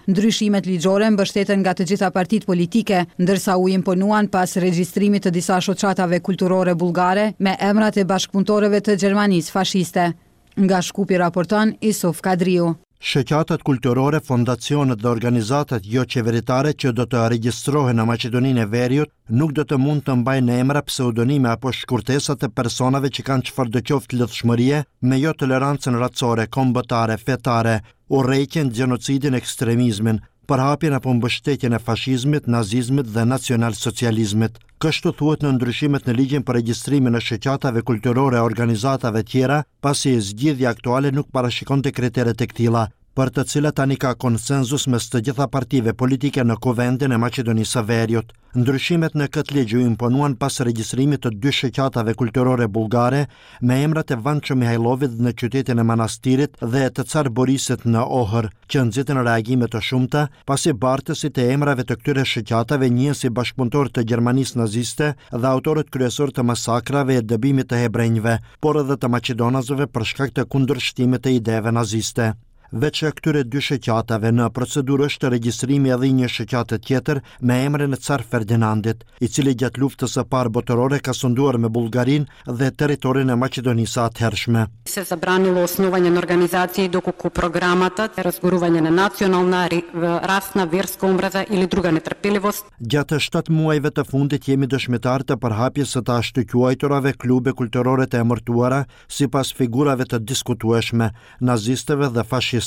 Ndryshimet ligjore mbështeten nga të gjitha partitë politike, ndërsa u imponuan pas regjistrimit të disa shoqatave kulturore bullgare me emrat e bashkëpunëtorëve të Gjermanisë fashiste. Nga Shkupi raporton Isuf Kadriu. Shoqatat kulturore, fondacionet dhe organizatat joqeveritare që do të regjistrohen në Maqedoninë e Veriut nuk do të mund të mbajnë emra, pseudonime apo shkurtesa të personave që kanë çfarëdo qoftë lidhshmërie me jotolerancën racore, kombëtare, fetare, urrejtjen, gjenocidin, ekstremizmin, përhapjen apo mbështetjen e fashizmit, nazizmit dhe nacionalsocializmit. Kështu thuhet në ndryshimet në ligjin për regjistrimin e shoqatave kulturore e organizatave tjera, pasi zgjidhja aktuale nuk parashikonte kritere të këtilla, për të cilat tani ka konsenzus mes të gjitha partive politike në Kuvendin e Maqedonisë së Veriut. Ndryshimet në këtë ligj u imponuan pas regjistrimit të dy shoqatave kulturore bullgare me emrat e Vanço Mihajllovit në qytetin e Manastirit dhe të Car Borisit në Ohër, që nxitën reagime të shumta, pasi bartësit e emrave të këtyre shoqatave njihen si bashkëpunëtorë të Gjermanisë naziste dhe autorët kryesorë të masakrave e dëbimit të hebrenjve, por edhe të maqedonasve për shkak të kundërshtimit të ideve naziste. Veç këtyre dy shoqatave, në procedurë është regjistrimi edhe i një shoqate tjetër me emrin e Car Ferdinandit, i cili gjatë Luftës së Parë Botërore ka sunduar me Bullgarinë dhe territorin e Maqedonisë së atëhershme. Се забранило основање на организации доколку програмата разгорување на национална, расна, верска омраза или друга нетрпеливост. Gjatë shtatë muajve të fundit jemi dëshmitarë të përhapjes së të ashtuquajturave klube kulturore të emërtuara sipas figurave të diskutueshme, nazistëve dhe fashistëve.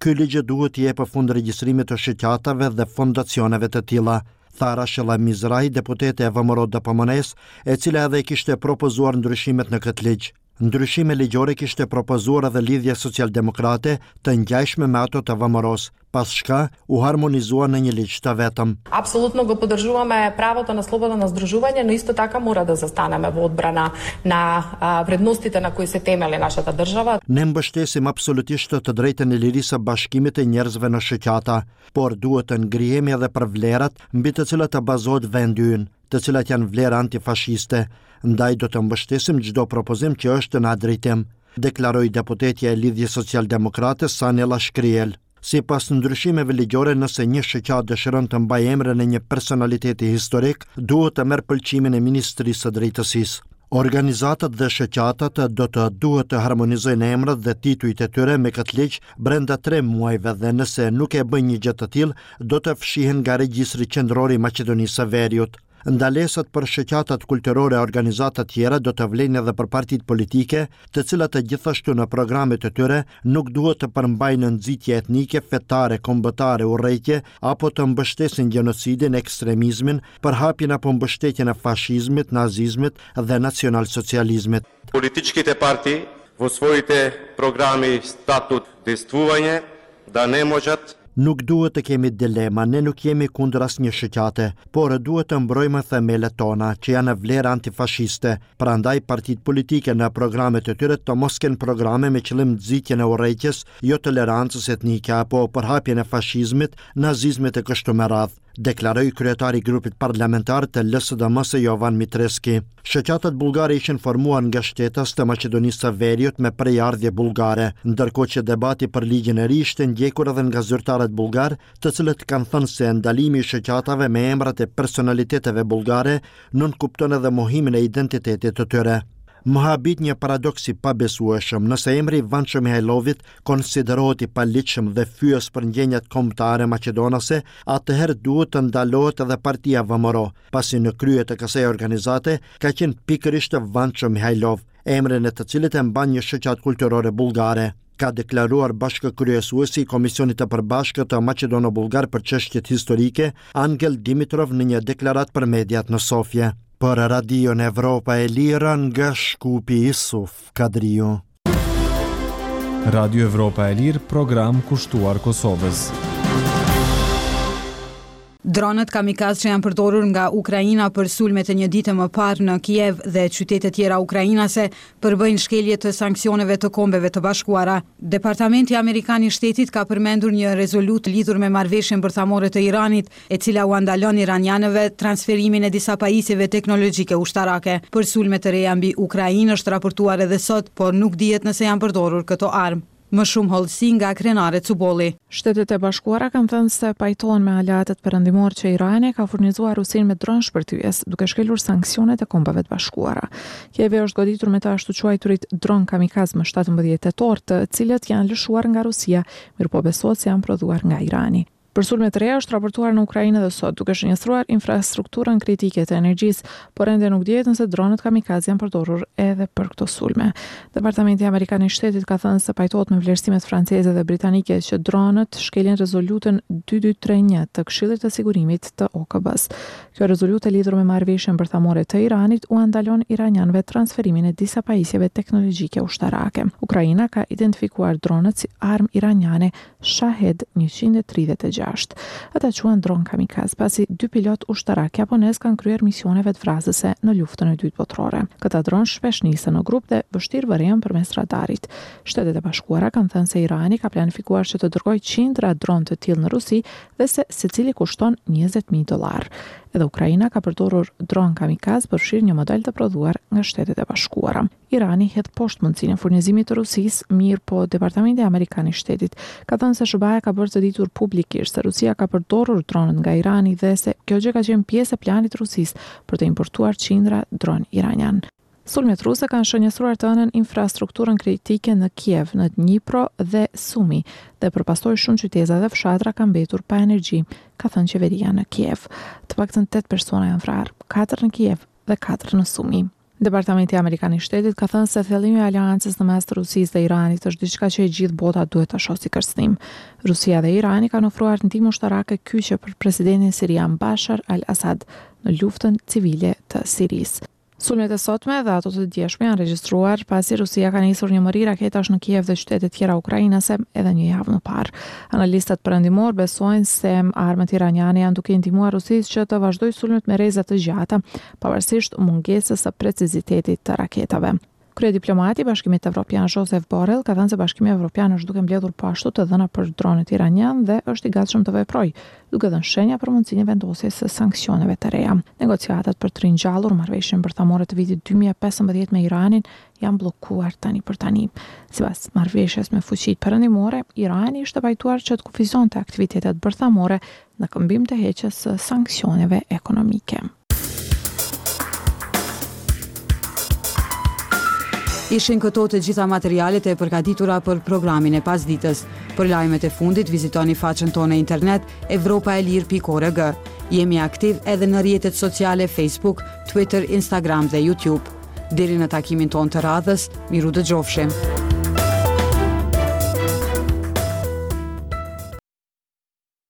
Ky ligj duhet t'i jepë fund regjistrimit të shoqatave dhe fondacioneve të tilla, tha Rashela Mizrahi, deputete e VMRO-DPMNE-së, e cila edhe kishte propozuar ndryshimet në këtë ligj. Ndryshime ligjore kishte propozuar edhe Lidhja Socialdemokrate, të ngjashme me ato të VMRO-së, pas çka u harmonizua në një ligj të vetëm. Апсолутно го поддржуваме правото на слобода на здружување, но исто така мора да застанеме во одбрана на вредностите на кои се темели нашата држава. Ne mbështesim absolutisht të drejtën e lirisë së bashkimit të njerëzve në shoqata, por duhet të ngrihemi edhe për vlerat mbi të cilat bazohet vendi ynë, të cilat janë vlera antifashiste, ndaj do të mbështesim çdo propozim që është në atë drejtim, deklaroi deputetja e Lidhjes Socialdemokrate Sanela Shkriel. Sipas ndryshimeve ligjore, nëse një shoqatë dëshiron të mbajë emrin e një personaliteti historik, duhet të merr pëlqimin e Ministrisë së Drejtësisë. Organizatat dhe shoqatat do të duhet të harmonizojnë emrat dhe titujt e tyre me këtë ligj brenda 3 muajve dhe nëse nuk e bëjnë një gjë të tillë, do të fshihen nga regjistri qendror i Maqedonisë së Veriut. Ndalesat për shoqatat kulturore e organizatat tjera do të vlejnë edhe për partitë politike, të cilat gjithashtu në programet e tyre nuk duhet të përmbajnë nxitje etnike, fetare, kombëtare, urrejtje apo të mbështesin gjenocidin, ekstremizmin, përhapjen apo mbështetjen e fashizmit, nazizmit dhe nacionalsocializmit. Политичките партии во своите програми, статут, действување да не можат Nuk duhet të kemi dilema, ne nuk jemi kundër asnjë shoqate, por duhet të mbrojmë themelet tona, që janë vlera antifashiste. Prandaj partitë politike në programet e tyre të mos kenë programe me qëllim nxitjen e urrejtjes, jo tolerancës etnike apo përhapjen e fashizmit, nazizmit e kështu me radhë, deklaroi kryetari i grupit parlamentar të LSDM-së Jovan Mitreski. Shoqatat bullgare ishin formuar nga shtetas të Maqedonisë së Veriut me prejardhje bullgare, ndërkohë që debati për ligjin e ri ishte ndjekur edhe nga zyrtarët bullgar, të cilët kanë thënë se ndalimi i shoqatave me emrat e personaliteteve bullgare nënkupton edhe mohimin e identitetit të tyre. Më habit një paradoks i pabesueshëm, nëse emri i Vanço Mihajlovit konsiderohet i paligjshëm dhe fyes për ndjenjat kombëtare maqedonase, atëherë duhet të ndalohet edhe partia VMRO, pasi në krye të kësaj organizate ka qenë pikërisht Vanço Mihajlov, emrin e të cilit e mban një shoqatë kulturore bullgare, ka deklaruar bashkëkryesuesi i Komisionit të Përbashkët të Maqedono-Bullgar për çështjet historike, Angel Dimitrov në një deklaratë për mediat në Sofje. Për Radion Evropa e Lirë nga Shkupi Isuf Kadriu. Radio Evropa e Lirë, program kushtuar Kosovës. Dronët kamikaz që janë përdorur nga Ukraina për sulmet e një dite më parë në Kiev dhe qytete tjera ukrainase përbëjnë shkelje të sanksioneve të Kombeve të Bashkuara. Departamenti Amerikan i Shtetit ka përmendur një rezolutë lidhur me marrëveshjen bërthamore të Iranit, e cila ua ndalon iranianëve transferimin e disa pajisjeve teknologjike ushtarake. Për sulme të reja mbi Ukrainë është raportuar edhe sot, por nuk dihet nëse janë përdorur këto armë. Më shumë hollësi nga Krenare Cubolli. Shtetet e Bashkuara kanë thënë se pajtohen me aleatët perëndimorë që Irani ka furnizuar Rusinë me dronë shpërthyes, duke shkelur sanksionet e Kombeve të Bashkuara. Kievi është goditur me të ashtuquajturit dronë kamikaz më 17 tetor, të cilët janë lëshuar nga Rusia, mirëpo besohet se janë prodhuar nga Irani. Për sulme të reja është raportuar në Ukrainë edhe sot, duke shënjestruar infrastrukturën kritike të energjisë, por ende nuk dihet nëse dronët kamikaz janë përdorur edhe për këto sulme. Departamenti Amerikan i Shtetit ka thënë se pajtohet me vlerësimet franceze dhe britanike që dronët shkelin rezolutën 2231 të Këshillit të Sigurimit të OKB-së. Kjo rezolutë e lidhur me marrëveshjen bërthamore të Iranit ua ndalon iranianëve transferimin e disa pajisjeve teknologjike ushtarake. Ukraina ka identifikuar dronët si armë iraniane Shahed 136. Ata quhen dronë kamikaz, pasi dy pilotë ushtarakë japonezë kanë kryer misione vetëvrasëse në Luftën e Dytë Botërore. Këta dronë shpesh nisen në grup dhe vështirë vërehen përmes radarit. Shtetet e Bashkuara kanë thënë se Irani ka planifikuar që të dërgojë qindra dronë të tillë në Rusi dhe se secili kushton 20.000 dollarë. Edhe Ukraina ka përdorur dronë kamikaz, përfshirë një model të prodhuar nga Shtetet e Bashkuara. Irani hedh poshtë mundësinë e furnizimit të Rusisë, mirëpo Departamenti Amerikan i Shtetit ka thënë se SHBA-ja ka bërë të ditur publikisht se Rusia ka përdorur dronët nga Irani dhe se kjo gjë ka qenë pjesë e planit të Rusisë për të importuar qindra dronë iranianë. Sulmet ruse kanë shënjestruar të hënën infrastrukturën kritike në Kiev, në Dnipro dhe Sumi, dhe për pasojë shumë qyteza dhe fshatra kanë mbetur pa energji, ka thënë qeveria në Kiev. Të paktën tetë persona janë vrarë, katër në Kiev dhe katër në Sumi. Departamenti Amerikan i Shtetit ka thënë se thellimi i aleancës në mes të Rusisë dhe Iranit është diçka që e gjithë bota duhet ta shohë si kërcënim. Rusia dhe Irani kanë ofruar ndihmë ushtarake kyçe për presidentin sirian Bashar al-Assad në luftën civile të Sirisë. Sulmet e sotme dhe ato të djeshme janë regjistruar pasi Rusia ka nisur një mori raketash në Kiev dhe qytete tjera ukrainase edhe një javë më parë. Analistët perëndimorë besojnë se armët iraniane janë duke i ndihmuar Rusisë që të vazhdojë sulmet me rreze të gjata, pavarësisht mungesës së precizitetit të raketave. Kryediplomati i Bashkimit Evropian Josep Borrell ka thënë se Bashkimi Evropian është duke mbledhur po ashtu të dhëna për dronët iranianë dhe është i gatshëm të veprojë, duke dhënë shenja për mundësinë e vendosjes së sanksioneve të reja. Negociatat për të ringjallur marrëveshjen bërthamore të vitit 2015 me Iranin janë bllokuar tani për tani. Sipas marrëveshjes me fuqitë perëndimore, Irani ishte pajtuar që të kufizonte aktivitetet bërthamore në këmbim të heqjes së sanksioneve ekonomike. Ishin këto të gjitha materialet e përgatitura për programin e pasditës. Për lajmet e fundit vizitoni faqen tonë në internet evropaelire.org. Jemi aktiv edhe në rrjetet sociale Facebook, Twitter, Instagram dhe YouTube. Deri në takimin tonë të radhës, mirudëgjofshim.